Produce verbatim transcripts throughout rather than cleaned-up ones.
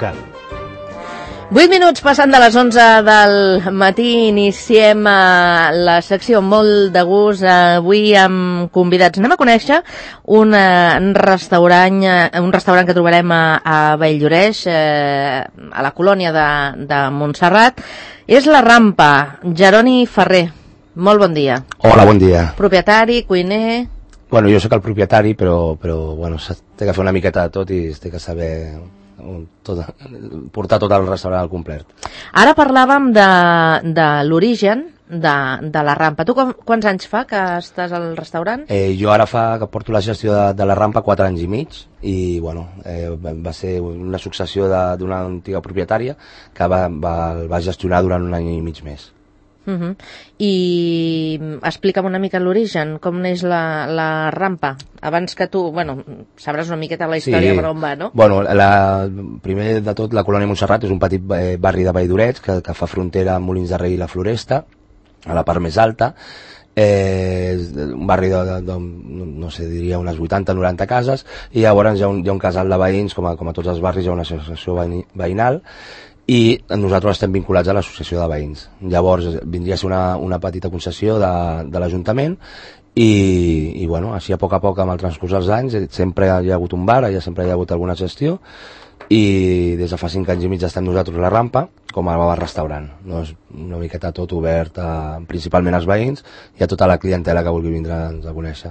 local. vuit minuts passant de les onze del matí, iniciem uh, la secció molt de gust, uh, avui amb convidats. Anem a conèixer un uh, restaurant uh, un restaurant que trobarem a, a Valldoreix, uh, a la colònia de, de Montserrat. És La Rampa. Jeroni Ferrer, molt bon dia. Hola, bon dia. Propietari, cuiner... Bueno, jo sóc el propietari, però, però bueno, té que fer una miqueta de tot i té que saber... Tot, portar tot el restaurant al complet. Ara parlàvem de, de l'origen de, de La Rampa. Tu com, quants anys fa que estàs al restaurant? Eh, jo ara fa que porto la gestió de, de La Rampa quatre anys i mig i bueno, eh, va ser una successió d'una antiga propietària que va, va, va gestionar durant un any i mig més. Uh -huh. I explica'm una mica l'origen, com neix la, la Rampa, abans que tu, bueno, sabràs una miqueta la història, sí, per on va, no? Bueno, la, primer de tot, la colònia Montserrat és un petit eh, barri de Valldoreix que, que fa frontera amb Molins de Rei i la Floresta, a la part més alta. Eh, un barri de, de, de, no sé, diria unes vuitanta noranta cases, i llavors hi ha un, hi ha un casal de veïns, com a, com a tots els barris hi ha una associació veïnal, i nosaltres estem vinculats a l'associació de veïns. Llavors vindria a ser una, una petita concessió de, de l'Ajuntament i, i bueno, així a poc a poc amb el transcurs dels anys sempre hi ha hagut un bar, ja sempre hi ha hagut alguna gestió i des de fa cinc anys i mig estem nosaltres a La Rampa com a bar restaurant, no? És una miqueta tot obert a, principalment als veïns i a tota la clientela que vulgui vindre'ns a conèixer.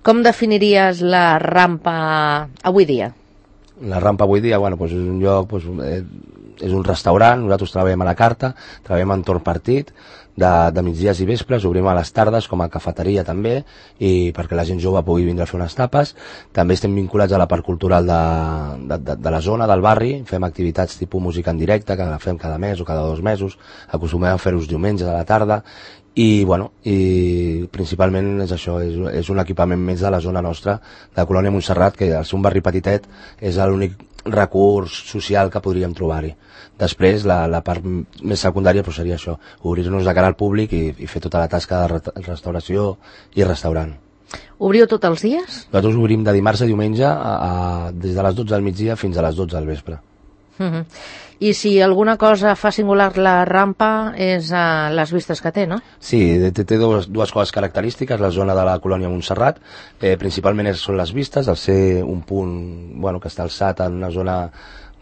Com definiries La Rampa avui dia? La Rampa avui dia, bueno, doncs és un lloc, doncs, eh, és un restaurant, nosaltres treballem a la carta, treballem en torn partit, de, de migdies i vespres, obrim a les tardes com a cafeteria també, i perquè la gent jove pugui vindre a fer unes tapes. També estem vinculats a la part cultural de, de, de, de la zona, del barri, fem activitats tipus música en directe, que la fem cada mes o cada dos mesos, acostumem a fer-ho diumenges a la tarda, i bueno, i principalment és això, és, és un equipament més de la zona nostra, de la colònia Montserrat, que al ser un barri petitet és l'únic recurs social que podríem trobar-hi. Després la, la part més secundària però seria això, obrir-nos de cara al públic i, i fer tota la tasca de restauració i restaurant. Obriu tots els dies? Nosaltres obrim de dimarts a diumenge a, a, des de les dotze del migdia fins a les dotze del vespre. Uh -huh. I si alguna cosa fa singular La Rampa és uh, les vistes que té, no? Sí, té, té dues, dues coses característiques, la zona de la colònia Montserrat, eh, principalment són les vistes, al ser un punt bueno, que està alçat en una zona,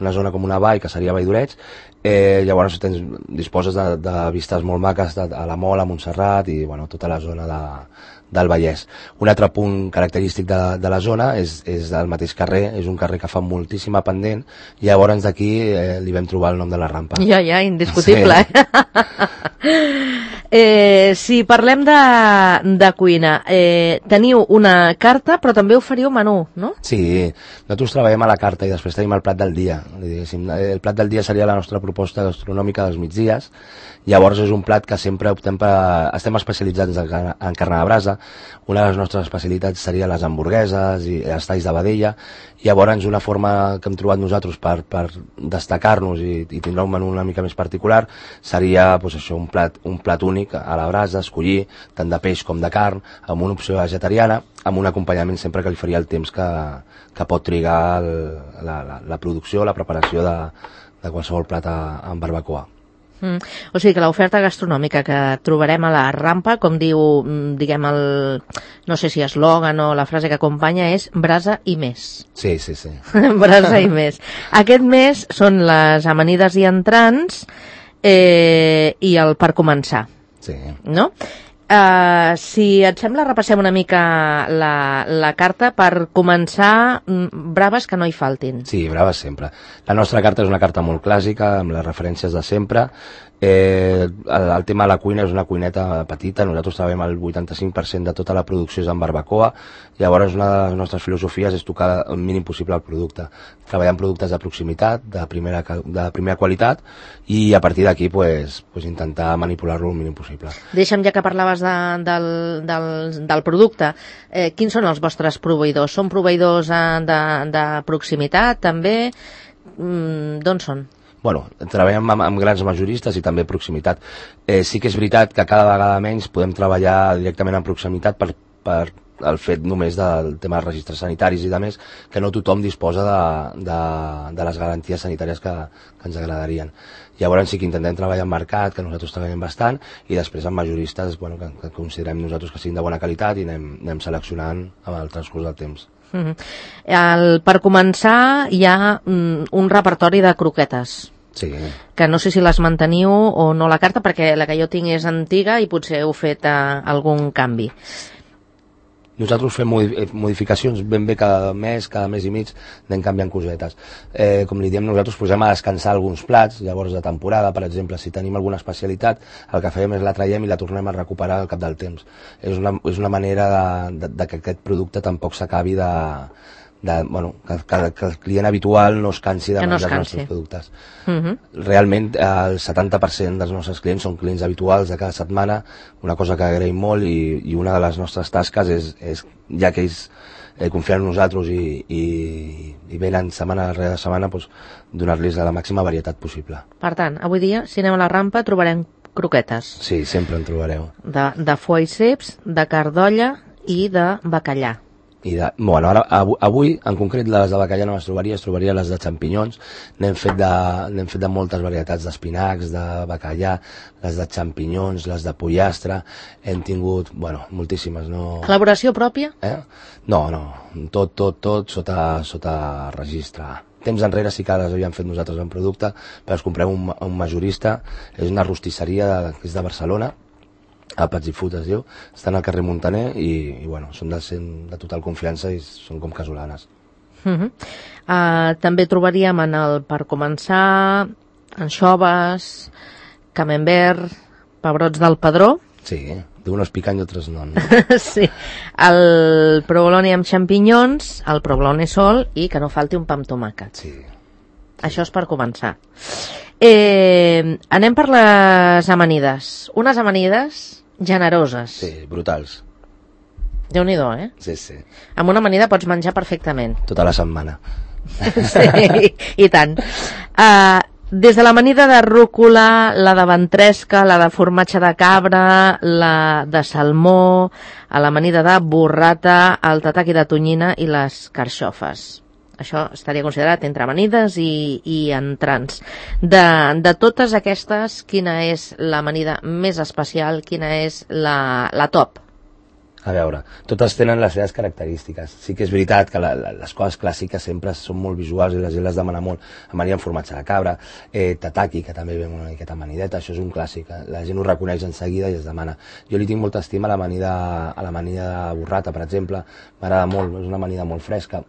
una zona com una vall, que seria Valldoreix, eh, llavors tens, disposes de, de vistes molt maques de, a la Mola, a Montserrat i bueno, tota la zona de, del Vallès. Un altre punt característic de, de la zona és, és el mateix carrer, és un carrer que fa moltíssima pendent, i llavors d'aquí eh, li vam trobar el nom de La Rampa. Ja, ja, indiscutible. Sí. eh, si parlem de, de cuina, eh, teniu una carta però també oferiu menú, no? Sí, nosaltres treballem a la carta i després tenim el plat del dia. El plat del dia seria la nostra proposta gastronòmica dels migdies. Llavors és un plat que sempre optem per... Estem especialitzats en, en carn de brasa. Una de les nostres especialitats seria les hamburgueses i els talls de vedella. Llavors una forma que hem trobat nosaltres per, per destacar-nos i, i tindre un menú una mica més particular seria pues, això, un, plat, un plat únic a la brasa, escollir tant de peix com de carn, amb una opció vegetariana, amb un acompanyament sempre que li faria el temps que, que pot trigar el, la, la, la producció, la preparació de, de qualsevol plat amb barbacoa. Mm. O sigui que l'oferta gastronòmica que trobarem a La Rampa, com diu, diguem, el, no sé si eslògan o la frase que acompanya, és brasa i més. Sí, sí, sí. Brasa i més. Aquest mes són les amanides i entrants eh, i el per començar. Sí. No? Uh, si et sembla, repassem una mica la, la carta per començar. Braves que no hi faltin. Sí, braves sempre. La nostra carta és una carta molt clàssica, amb les referències de sempre. Eh, el, el tema de la cuina és una cuineta petita, nosaltres treballem el vuitanta-cinc per cent de tota la producció és en barbacoa, llavors una de les nostres filosofies és tocar el mínim possible el producte. Treballar amb productes de proximitat, de primera, de primera qualitat, i a partir d'aquí pues, pues intentar manipular-lo el mínim possible. Deixa'm, ja que parlaves de, del, del, del producte, eh, quins són els vostres proveïdors? Són proveïdors eh, de, de proximitat també? Mm, d'on són? Bueno, treballem amb, amb grans majoristes i també proximitat. Eh, sí que és veritat que cada vegada menys podem treballar directament en proximitat per, per el fet només del tema dels registres sanitaris i de més, que no tothom disposa de, de, de les garanties sanitàries que, que ens agradarien. Llavors sí que intentem treballar en mercat, que nosaltres treballem bastant, i després amb majoristes bueno, que, que considerem nosaltres que siguin de bona qualitat i anem, anem seleccionant amb el transcurs del temps. Mm-hmm. el, per començar hi ha mm, un repertori de croquetes. Sí. Que no sé si les manteniu o no la carta, perquè la que jo tinc és antiga i potser heu fet eh, algun canvi. Nosaltres fem modificacions ben bé cada mes, cada mes i mig, anem canviant cosetes. Eh, com li diem, nosaltres posem a descansar alguns plats, llavors de temporada, per exemple, si tenim alguna especialitat, el que fem és la traiem i la tornem a recuperar al cap del temps. És una, és una manera de, de, de que aquest producte tampoc s'acabi de... De, bueno, que, que, que el client habitual no es cansi de no menjar els nostres productes. Uh-huh. Realment el setanta per cent dels nostres clients són clients habituals de cada setmana, una cosa que agraïm molt i, i una de les nostres tasques és, és ja que ells eh, confien en nosaltres i, i, i venen setmana rere setmana, doncs, donar-los la màxima varietat possible. Per tant, avui dia, si anem a la rampa, trobarem croquetes. Sí, sempre en trobareu. De, de foie ceps, de carn d'olla i de bacallà. I de, bueno, ara, avui, en concret, les de bacallà no les trobaria, es trobaria les de xampinyons. N'hem fet, de, fet de moltes varietats d'espinacs, de bacallà, les de xampinyons, les de pollastre. Hem tingut, bueno, moltíssimes. No... Elaboració pròpia? Eh? No, no, tot, tot, tot sota, sota registre. Temps enrere sí que les havíem fet nosaltres en producte, però els comprem un, un majorista, és una rostisseria que és de Barcelona, a Pats i Food es diu, estan al carrer Montaner i, i bueno, són de, de total confiança i són com casolanes. Uh-huh. uh, també trobaríem en el, per començar, anxoves, camembert, pebrots del Padró. Sí, d'unos pican i altres no. no? Sí, el provolone amb xampinyons, el provolone sol i que no falti un pa amb tomàquet. Sí. Això és per començar. Eh, anem per les amanides. Unes amanides generoses. Sí, brutals. Déu-n'hi-do, eh? Sí, sí. Amb una amanida pots menjar perfectament. Tota la setmana. Sí, i, i tant. Uh, des de l'amanida de rúcula, la de ventresca, la de formatge de cabra, la de salmó, a l'amanida de burrata, el tataki de tonyina i les carxofes. Això estaria considerat entre amanides i, i entrants. De, de totes aquestes, quina és l'amanida més especial? Quina és la, la top? A veure, totes tenen les seves característiques. Sí que és veritat que la, la, les coses clàssiques sempre són molt visuals i la gent les demana molt. Amanida amb formatge de cabra, eh, tataki, que també ve una miqueta amanideta, això és un clàssic. La gent ho reconeix en seguida i es demana. Jo li tinc molta estima a l'amanida a l'amanida de burrata, per exemple. M'agrada molt, és una amanida molt fresca.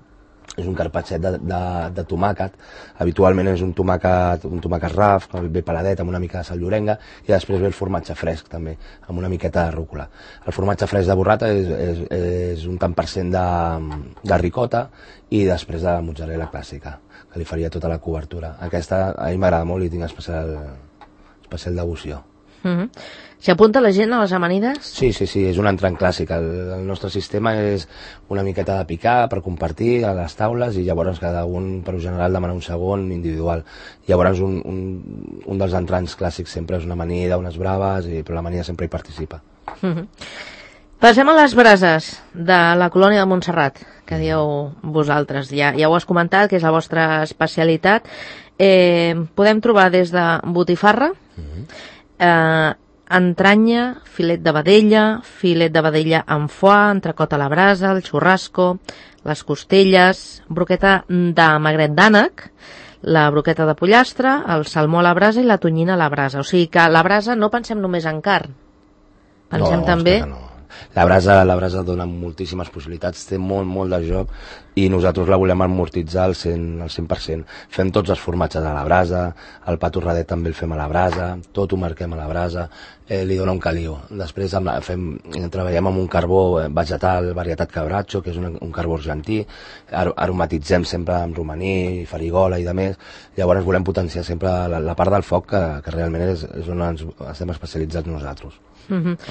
És un carpacset de, de, de tomàquet, habitualment és un tomàquet, un tomàquet raf, bé peladet, amb una mica de sal llorenga, i després ve el formatge fresc també, amb una miqueta de rúcula. El formatge fresc de burrata és, és, és un tant per cent de, de ricota i després de la mozzarella clàssica, que li faria tota la cobertura. Aquesta a mi m'agrada molt i tinc especial, especial devoció. Mm-hmm. S'hi apunta la gent a les amanides? Sí, sí, sí, és un entrant clàssic. El, el nostre sistema és una miqueta de picar per compartir a les taules i llavors cada un, per general, demana un segon individual. Llavors un, un, un dels entrants clàssics sempre és una amanida, unes braves, i, però l'amanida sempre hi participa. Mm-hmm. Passem a les brases de la colònia de Montserrat, que dieu vosaltres. Ja, ja ho has comentat, que és la vostra especialitat. Eh, podem trobar des de botifarra, mm-hmm. eh, entranya, filet de vedella, filet de vedella amb foie, entrecot a la brasa, el xurrasco, les costelles, broqueta de magret d'ànec, la broqueta de pollastre, el salmó a la brasa i la tonyina a la brasa. O sigui que a la brasa no pensem només en carn, pensem no, també... No. La brasa, la brasa dona moltíssimes possibilitats, té molt, molt de joc i nosaltres la volem amortitzar al cent, al cent per cent. Fem tots els formatges a la brasa, el pa torradet també el fem a la brasa, tot ho marquem a la brasa, eh, li dona un caliu. Després amb la, fem, treballem amb un carbó vegetal, varietat cabracho, que és un, un carbó argentí, ar aromatitzem sempre amb romaní, farigola i de més, llavors volem potenciar sempre la, la part del foc que, que realment és, és on ens estem especialitzats nosaltres. Mm-hmm.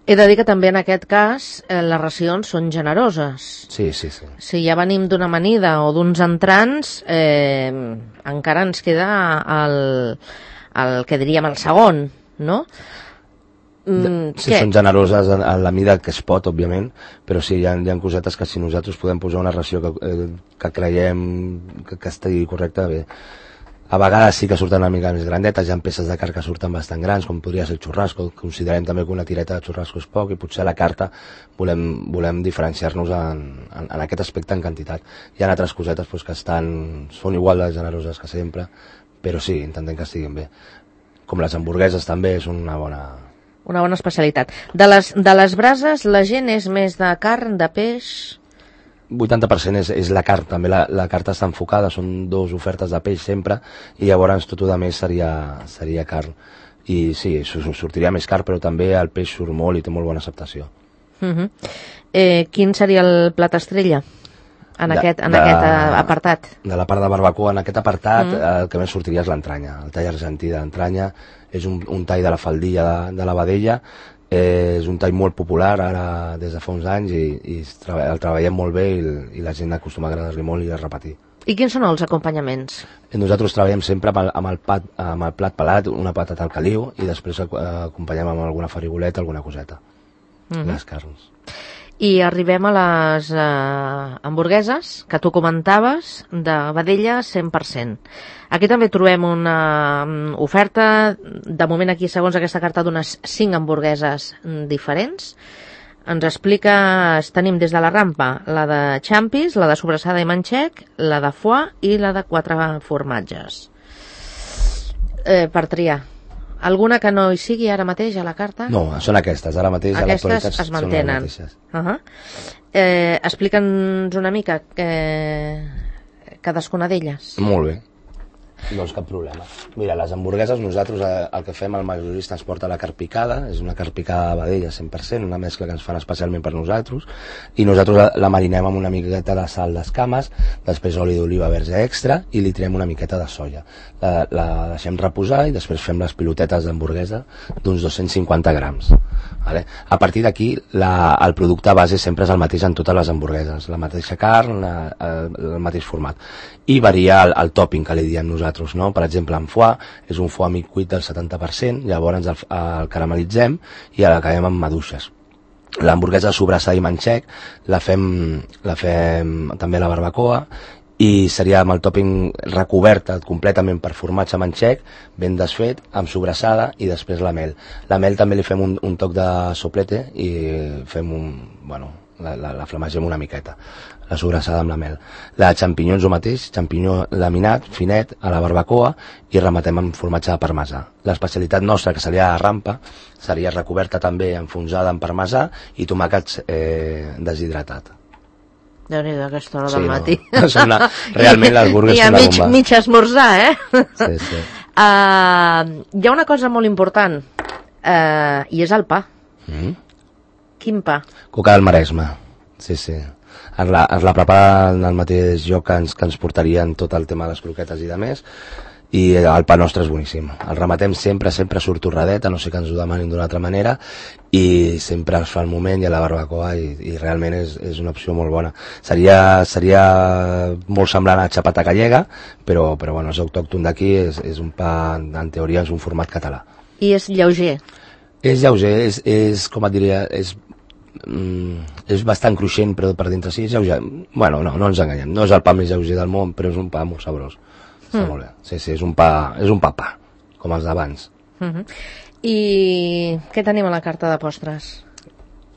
He de dir que també en aquest cas eh, les racions són generoses. Sí, sí, sí. Si ja venim d'una amanida o d'uns entrants, eh, encara ens queda el, el que diríem el segon, no? Mm, sí, són generoses en, en la mida que es pot, òbviament, però sí, hi ha, hi ha cosetes que si nosaltres podem posar una ració que, eh, que creiem que, que estigui correcta, bé. A vegades sí que surten una mica més grandetes, hi ha peces de carn que surten bastant grans, com podria ser el xurrasco. Considerem també que una tireta de xurrasco és poc i potser a la carta volem, volem diferenciar-nos en, en, en aquest aspecte en quantitat. Hi ha altres cosetes pues, que estan, són igual de generoses que sempre, però sí, intentem que estiguin bé. Com les hamburgueses també són una bona... Una bona especialitat. De les, de les brases, la gent és més de carn, de peix... vuitanta per cent és, és la carn, també la, la carta està enfocada, són dues ofertes de peix sempre, i llavors tot el més seria, seria carn. I sí, sortiria més car, però també el peix surt molt i té molt bona acceptació. Uh -huh. eh, quin seria el plat estrella en, de, aquest, en de, aquest apartat? De la part de barbacoa, en aquest apartat, uh -huh. el que més sortiria és l'entranya, el tall argentí d'entranya. És un, un tall de la faldilla de, de la vedella, eh, és un tall molt popular ara des de fa uns anys i, i treba, el treballem molt bé i, i la gent acostuma a agradar-li molt i a repetir. I quins són els acompanyaments? Nosaltres treballem sempre amb el, amb el, pat, amb el plat pelat, una patata al caliu i després eh, acompanyem amb alguna farigoleta, alguna coseta, uh -huh. les carns. I arribem a les eh, hamburgueses, que tu comentaves, de vedella cent per cent. Aquí també trobem una um, oferta, de moment aquí, segons aquesta carta, d'unes cinc hamburgueses diferents. Ens expliques, tenim des de la rampa la de xampis, la de sobrassada i manxec, la de foie i la de quatre formatges. Eh, per triar. Alguna que no hi sigui ara mateix a la carta? No, són aquestes, ara mateix aquestes a l'actualitat es mantenen. Uh -huh. eh, Explica'ns una mica eh, cadascuna d'elles. Molt bé. Doncs cap problema. Mira, les hamburgueses, nosaltres eh, el que fem, el majorista ens porta la carn picada, és una carn picada de vedella cent per cent, una mescla que ens fan especialment per nosaltres, i nosaltres la, la marinem amb una miqueta de sal d'escames, després oli d'oliva verge extra, i li tirem una miqueta de soia. La, la deixem reposar i després fem les pilotetes d'hamburguesa d'uns dos-cents cinquanta grams. Vale? A partir d'aquí, el producte base sempre és el mateix en totes les hamburgueses, la mateixa carn, la, el, el mateix format. I varia el, el topping que li diem nosaltres, no? Per exemple, en foie és un foie mig cuit del setanta per cent, llavors el, el caramelitzem i l'acabem amb maduixes. L'hamburguesa sobrassada i manxec la fem, la fem també a la barbacoa i seria amb el topping recoberta completament per formatge manxec, ben desfet, amb sobrassada i després la mel. La mel també li fem un, un toc de soplete i fem un, bueno, la, la, la flamegem una miqueta, la sobrassada amb la mel. La xampinyons o mateix, xampinyó laminat, finet, a la barbacoa i rematem amb formatge de parmesà. L'especialitat nostra, que seria la rampa, seria recoberta també enfonsada en parmesà i tomàquets eh, deshidratat. Déu-n'hi-do, aquesta hora sí, del no. matí. Una, realment les burgues són una bomba. I a mig, mig esmorzar, eh? Sí, sí. Uh, hi ha una cosa molt important, uh, i és el pa. Mm. Quin pa? Coca del Maresme, sí, sí. Ens la, ens la prepara en el mateix lloc que ens, que ens portarien tot el tema de les croquetes i de més, i el pa nostre és boníssim. El rematem sempre, sempre surt torradet, a no sé que ens ho demanin d'una altra manera, i sempre es fa el moment i a la barbacoa, i, i realment és, és una opció molt bona. Seria, seria molt semblant a xapata gallega, però, però bueno, és autòcton d'aquí, és, és un pa, en teoria és un format català. I és lleuger? És lleuger, és, és com et diria, és Mm, és bastant cruixent, però per dintre sí és lleuger. Bueno, no, no ens enganyem, no és el pa més lleuger del món, però és un pa molt sabrós. Està mm. molt bé. Sí, sí, és un pa, és un pa pa, com els d'abans. Mm -hmm. I què tenim a la carta de postres?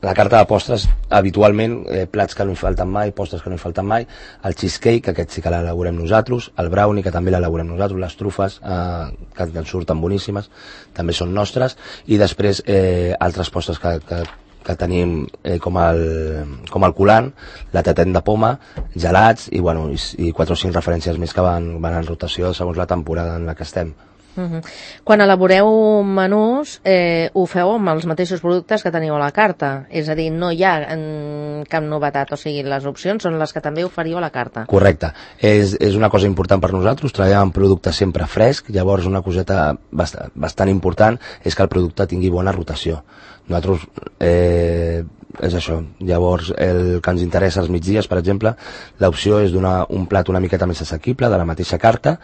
La carta de postres, habitualment, eh, plats que no hi falten mai, postres que no hi falten mai, el cheesecake, que aquest sí que l'elaborem nosaltres, el brownie, que també l'elaborem nosaltres, les trufes, eh, que ens surten boníssimes, també són nostres, i després eh, altres postres que, que que tenim eh, com, el, com el colant, la tatet de poma, gelats i, bueno, i, i quatre o cinc referències més que van, van en rotació segons la temporada en la que estem. Uh -huh. Quan elaboreu menús, eh, ho feu amb els mateixos productes que teniu a la carta, és a dir, no hi ha en cap novetat, o sigui, les opcions són les que també oferiu a la carta. Correcte, és, és una cosa important per nosaltres, treballem amb producte sempre fresc, llavors una coseta bastant, bastant important és que el producte tingui bona rotació. Nosaltres eh, és això. Llavors, el que ens interessa als migdies, per exemple, l'opció és donar un plat una miqueta més assequible, de la mateixa carta,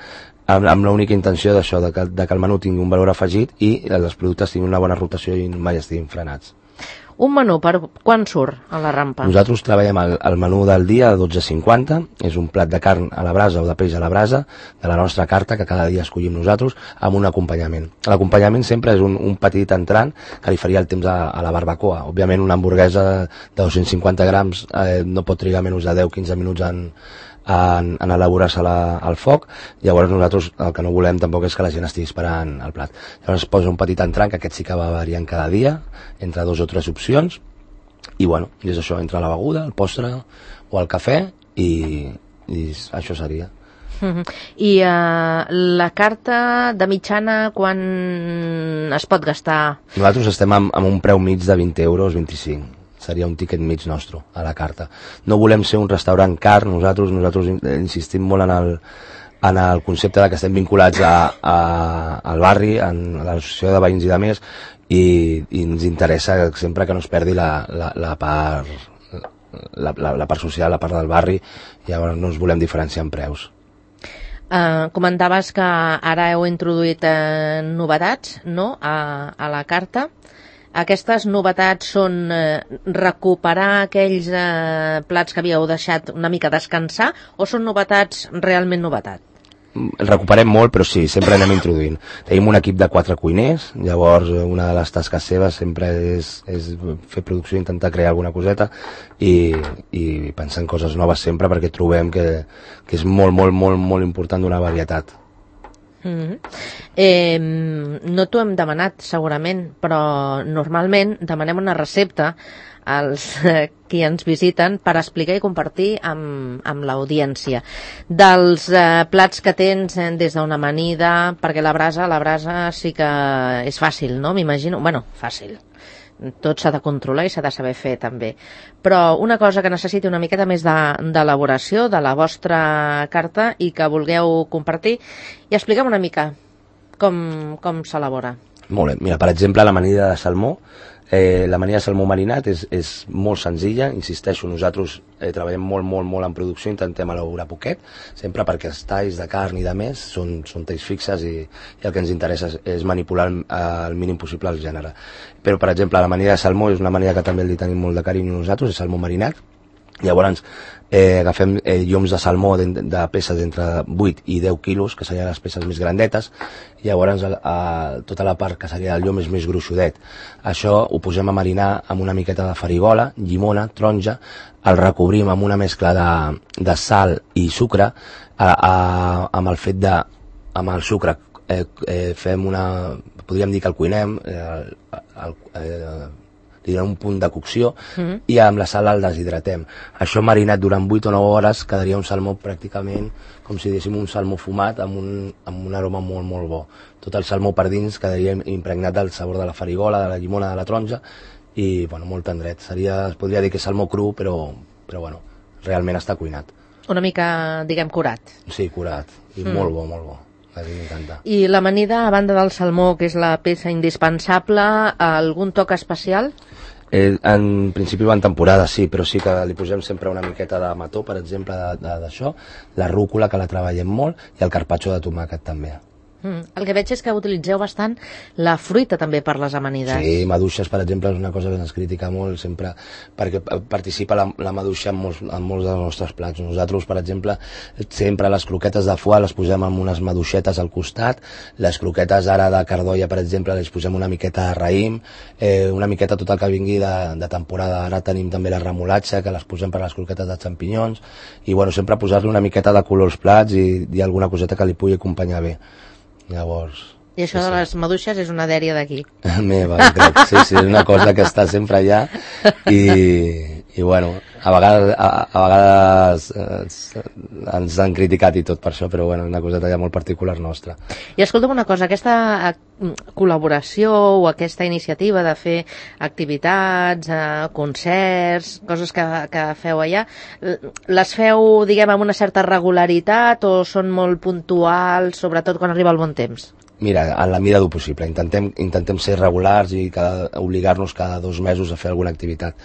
amb, amb l'única intenció d'això, de, que, de que el menú tingui un valor afegit i els productes tinguin una bona rotació i mai estiguin frenats. Un menú, per quan surt a la rampa? Nosaltres treballem el, el menú del dia a dotze cinquanta, és un plat de carn a la brasa o de peix a la brasa, de la nostra carta, que cada dia escollim nosaltres, amb un acompanyament. L'acompanyament sempre és un, un petit entrant que li faria el temps a, a la barbacoa. Òbviament una hamburguesa de dos-cents cinquanta grams eh, no pot trigar menys de deu a quinze minuts en, en, en elaborar-se al foc. Llavors nosaltres el que no volem tampoc és que la gent estigui esperant el plat. Llavors es posa un petit entrant, que aquest sí que va variant cada dia, entre dos o tres opcions, i bueno, és això, entre la beguda, el postre o el cafè, i, i això seria. Uh-huh. I uh, la carta de mitjana quan es pot gastar? Nosaltres estem amb, amb un preu mig de vint euros, vint-i-cinc. Seria un tiquet mig nostre a la carta. No volem ser un restaurant car, nosaltres nosaltres insistim molt en el, en el concepte de que estem vinculats a, a, al barri, en l'associació de veïns i de més, i, i ens interessa sempre que no es perdi la, la, la part la, la, la part social, la part del barri, i llavors no ens volem diferenciar en preus. Uh, comentaves que ara heu introduït uh, novetats, no?, a, a la carta. Aquestes novetats són eh, recuperar aquells eh, plats que havíeu deixat una mica descansar, o són novetats realment novetat? El recuperem molt, però sí, sempre anem introduint. Tenim un equip de quatre cuiners, llavors una de les tasques seves sempre és, és fer producció, intentar crear alguna coseta i, i pensar en coses noves sempre, perquè trobem que, que és molt, molt, molt, molt important donar varietat. Mm-hmm. eh, no t'ho hem demanat segurament, però normalment demanem una recepta als eh, qui ens visiten per explicar i compartir amb, amb l'audiència dels eh, plats que tens eh, des d'una amanida, perquè la brasa la brasa sí que és fàcil, no? M'imagino, bueno, fàcil, tot s'ha de controlar i s'ha de saber fer també, però una cosa que necessiti una miqueta més d'elaboració de, de la vostra carta i que vulgueu compartir, i expliquem una mica com, com s'elabora. Molt bé, mira, per exemple, l'amanida de salmó, eh, l'amanida de salmó marinat és, és molt senzilla, insisteixo, nosaltres eh, treballem molt, molt, molt en producció, intentem elaborar poquet, sempre perquè els talls de carn i de més són, són talls fixes i, i el que ens interessa és, és manipular el, el mínim possible el gènere. Però, per exemple, l'amanida de salmó és una amanida que també li tenim molt de carinyo nosaltres, és salmó marinat. Llavors eh, agafem eh, lloms de salmó de, de peces entre vuit i deu quilos, que serien les peces més grandetes, i llavors a, a, tota la part que seria el llom és més gruixudet. Això ho posem a marinar amb una miqueta de farigola, llimona, taronja, el recobrim amb una mescla de, de sal i sucre, a, a, amb el fet de, amb el sucre eh, eh, fem una, podríem dir que el cuinem, eh, el, eh, li donem un punt de cocció, mm-hmm, i amb la sal el deshidratem. Això marinat durant vuit o nou hores quedaria un salmó pràcticament com si diguéssim un salmó fumat amb un, amb un aroma molt, molt bo. Tot el salmó per dins quedaria impregnat del sabor de la farigola, de la llimona, de la taronja, i bueno, molt tendret. Seria, es podria dir que és salmó cru, però, però bueno, realment està cuinat. Una mica, diguem, curat. Sí, curat, i mm. molt bo, molt bo. A mi m'encanta. I l'amanida, a banda del salmó, que és la peça indispensable, algun toc especial? Eh, en principi va en temporada, sí, però sí que li posem sempre una miqueta de mató, per exemple, d'això, la rúcula, que la treballem molt, i el carpaccio de tomàquet també. Mm. El que veig és que utilitzeu bastant la fruita també per les amanides. Sí, maduixes, per exemple, és una cosa que ens critica molt sempre, perquè participa la, la maduixa en molts, en molts dels nostres plats. Nosaltres, per exemple, sempre les croquetes de foie les posem amb unes maduixetes al costat, les croquetes ara de cardolla, per exemple, les posem una miqueta de raïm, eh, una miqueta tot el que vingui de, de temporada. Ara tenim també la remolatxa, que les posem per les croquetes de xampinyons, i bueno, sempre posar-li una miqueta de color als plats i, i alguna coseta que li pugui acompanyar bé. Llavors... I això sí, de les maduixes és una dèria d'aquí. Meva, crec. Sí, sí, és una cosa que està sempre allà i, i bueno, a vegades, a, a vegades eh, ens han criticat i tot per això, però bueno, és una coseta ja molt particular nostra. I escolta'm una cosa, aquesta col·laboració o aquesta iniciativa de fer activitats, eh, concerts, coses que, que feu allà, les feu, diguem, amb una certa regularitat o són molt puntuals, sobretot quan arriba el bon temps? Mira, en la mida del possible. Intentem, intentem ser regulars i cada, obligar-nos cada dos mesos a fer alguna activitat.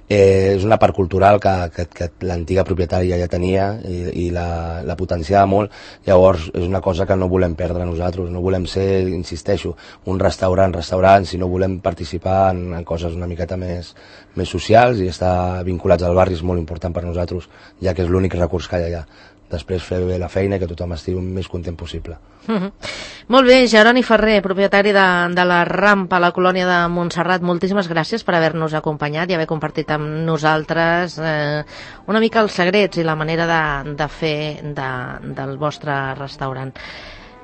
Eh, és una part cultural que, que, que l'antiga propietària ja tenia i, i la, la potenciava molt. Llavors és una cosa que no volem perdre nosaltres, no volem ser, insisteixo, un restaurant, restaurant, sinó volem participar en, en coses una miqueta més, més socials i estar vinculats al barri és molt important per nosaltres, ja que és l'únic recurs que hi ha allà. Després fer bé la feina i que tothom estigui el més content possible. Mm-hmm. Molt bé, Jeroni Ferrer, propietari de, de la Rampa a la colònia de Montserrat, moltíssimes gràcies per haver-nos acompanyat i haver compartit amb nosaltres eh, una mica els secrets i la manera de, de fer de, del vostre restaurant.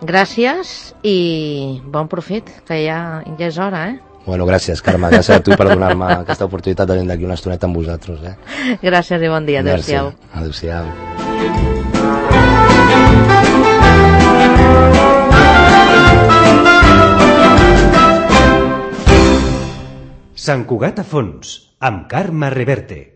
Gràcies i bon profit, que ja, ja és hora, eh? Bueno, gràcies, Carme. Gràcies a tu per donar-me aquesta oportunitat de venir d'aquí una estoneta amb vosaltres. Eh? Gràcies i bon dia. Adéu-siau. Adéu-siau. Sant Cugat a fons, amb Carme Reverte.